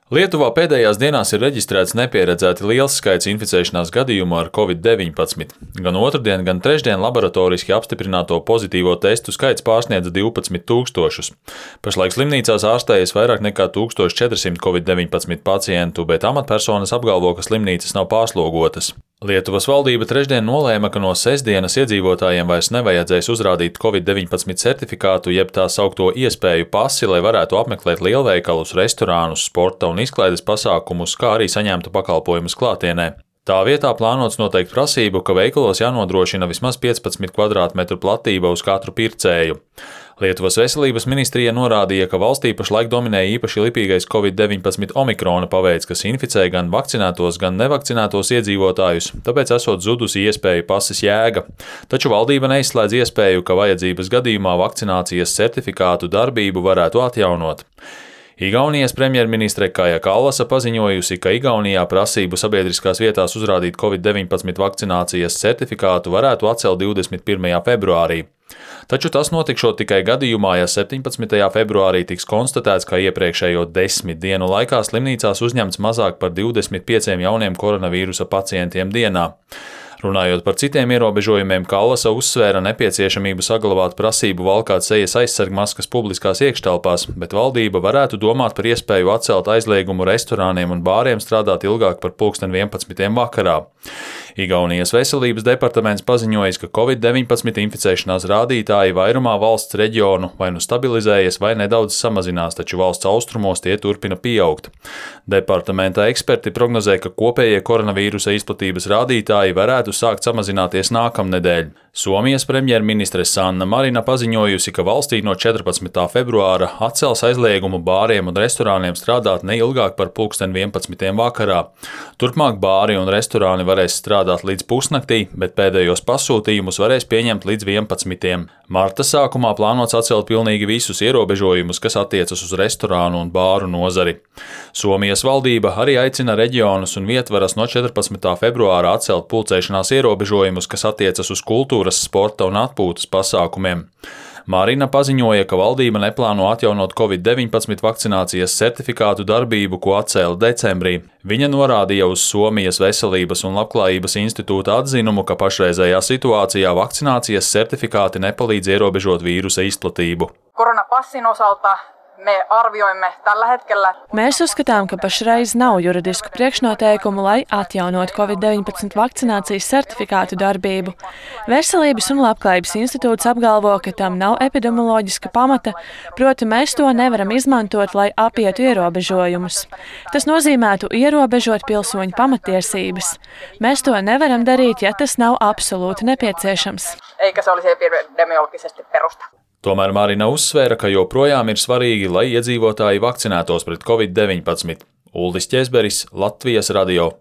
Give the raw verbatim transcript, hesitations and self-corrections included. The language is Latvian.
Lietuvā pēdējās dienās ir reģistrēts nepieredzēti liels skaits inficēšanās gadījumu ar covid deviņpadsmit. Gan otrdien, gan trešdien laboratoriski apstiprināto pozitīvo testu skaits pārsniedz divpadsmit tūkstošus. Pašlaik slimnīcās ārstējas vairāk nekā tūkstoš četrsimt covid deviņpadsmit pacientu, bet amatpersonas apgalvo, ka slimnīcas nav pārslogotas. Lietuvas valdība trešdien nolēma, ka no sestdienas iedzīvotājiem vairs nevajadzēs uzrādīt covid deviņpadsmit certifikātu jeb tā saukto iespēju pasi, lai varētu apmeklēt lielveikalus, restorānus, sporta un izklaides pasākumus, kā arī saņemtu pakalpojumus klātienē. Tā vietā plānots noteikt prasību, ka veikalos jānodrošina vismaz piecpadsmit kvadrātmetru platība uz katru pircēju. Lietuvas veselības ministrija norādīja, ka valstī pašlaik dominē īpaši lipīgais covid deviņpadsmit omikrona paveids, kas inficē gan vakcinētos, gan nevakcinētos iedzīvotājus, tāpēc esot zudusi iespēju pases jēga. Taču valdība neizslēdz iespēju, ka vajadzības gadījumā vakcinācijas certifikātu darbību varētu atjaunot. Igaunijas premjerministre Kaja Kallasa paziņojusi, ka Igaunijā prasību sabiedriskās vietās uzrādīt covid deviņpadsmit vakcinācijas certifikātu varētu atcelt divdesmit pirmajā februārī. Taču tas notikšot tikai gadījumā, ja septiņpadsmitajā februārī tiks konstatēts, ka iepriekšējo desmit dienu laikā slimnīcās uzņemts mazāk par divdesmit pieciem jauniem koronavīrusa pacientiem dienā. Runājot par citiem ierobežojumiem, Kallasa uzsvēra nepieciešamību saglabāt prasību valkāt sejas aizsargmaskas publiskās iekštelpās, bet valdība varētu domāt par iespēju atcelt aizliegumu restorāniem un bāriem strādāt ilgāk par pulksten vienpadsmitiem vakarā. Igaunijas veselības departaments paziņojis, ka covid deviņpadsmit inficēšanās rādītāji vairumā valsts reģionu vai nu stabilizējas vai nedaudz samazinās, taču valsts austrumos tie turpina pieaugt. Departamenta eksperti prognozē, ka kopējie koronavīrusa izplatības rādītāji varētu sākt samazināties nākamnedēļ. Somijas premjerministre Sanna Marina paziņojusi, ka valstī no četrpadsmitā februāra atcels aizliegumu bāriem un restorāniem strādāt ne ilgāk par pulksten vienpadsmitiem vakarā. Turpmāk bāri un restorāni varēs strādāt līdz pusnaktī, bet pēdējos pasūtījumus varēs pieņemt līdz vienpadsmitiem. Marta sākumā plānots atcelt pilnīgi visus ierobežojumus, kas attiecas uz restorānu un bāru nozari. Somijas valdība arī aicina reģionus un vietvaras no četrpadsmitā februāra atcelt pulcēšanās ierobežojumus, kas attiecas uz kultūras, sporta un atpūtas pasākumiem. Marina paziņoja, ka valdība neplāno atjaunot covid deviņpadsmit vakcinācijas certifikātu darbību, ko atcēla decembrī. Viņa norādīja uz Somijas veselības un labklājības institūta atzinumu, ka pašreizējā situācijā vakcinācijas certifikāti nepalīdz ierobežot vīrusa izplatību. Koronapassin osalta me arvioimme tällä hetkellä. Mēs uzskatām, ka pašreiz nav juridisku priekšnoteikumu, lai atjaunot covid deviņpadsmit vakcinācijas certifikātu darbību. Veselības un labklājības institūts apgalvo, ka tam nav epidemioloģiska pamata, proti mēs to nevaram izmantot, lai apietu ierobežojumus. Tas nozīmētu ierobežot pilsoņu pamatiesības. Mēs to nevaram darīt, ja tas nav absolūti nepieciešams. Eikä se olisi epidemiologisesti perusta. Tomēr Marina uzsvēra, ka joprojām ir svarīgi, lai iedzīvotāji vakcinētos pret covid deviņpadsmit. Uldis Ķezberis, Latvijas radio.